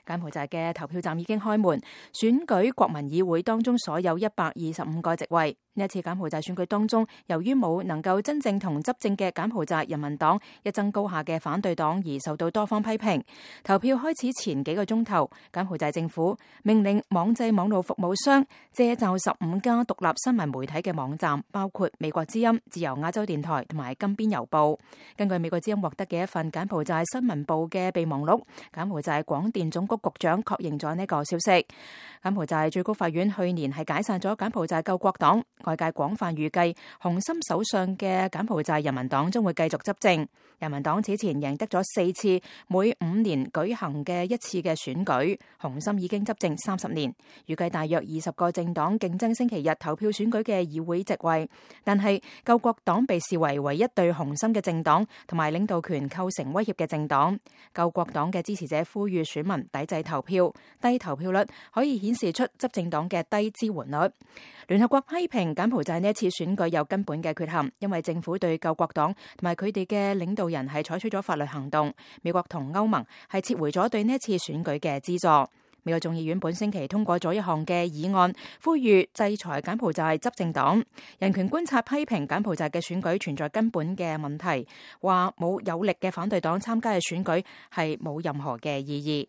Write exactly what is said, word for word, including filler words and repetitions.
柬埔寨嘅投票站已經開門，選舉國民議會當中所有一百二十五個席位。呢一次柬埔寨選舉當中，由於冇能夠真正同執政嘅柬埔寨人民黨一爭高下嘅反對黨而受到多方批評。投票開始前幾個鐘頭，柬埔寨政府命令網際網絡服務商借就十五家獨立新聞媒體嘅網站，包括美國之音、自由亞洲電台同埋金邊郵報。根據美國之音獲得嘅一份柬埔寨新聞部嘅備忘錄，柬埔寨廣電總局局長確認咗呢個消息。柬埔寨最高法院去年係解散咗柬埔寨救國黨，外界廣泛預計洪森手上嘅柬埔寨人民黨將會繼續執政。人民黨此前贏得咗四次每五年舉行嘅一次嘅選舉，洪森已經執政三十年，預計大約二十個政黨競爭星期日投票選舉嘅議會席位，但係救國黨被視為唯一對洪森嘅政黨同埋領導權構成威脅嘅政黨。救國黨嘅支持者呼籲選民抵制投票，低投票率可以顯示出執政黨嘅低支援率。聯合國批評柬埔寨呢一次選舉有根本嘅缺陷，因為政府對救國黨同埋佢哋嘅領導人係採取咗法律行動。美國同歐盟係撤回咗對呢一次選舉嘅資助。美國眾議院本星期通過咗一項嘅議案，呼籲制裁柬埔寨執政黨。人權觀察批評柬埔寨嘅選舉存在根本嘅問題，話冇有力嘅反對黨參加嘅選舉係冇任何嘅意義。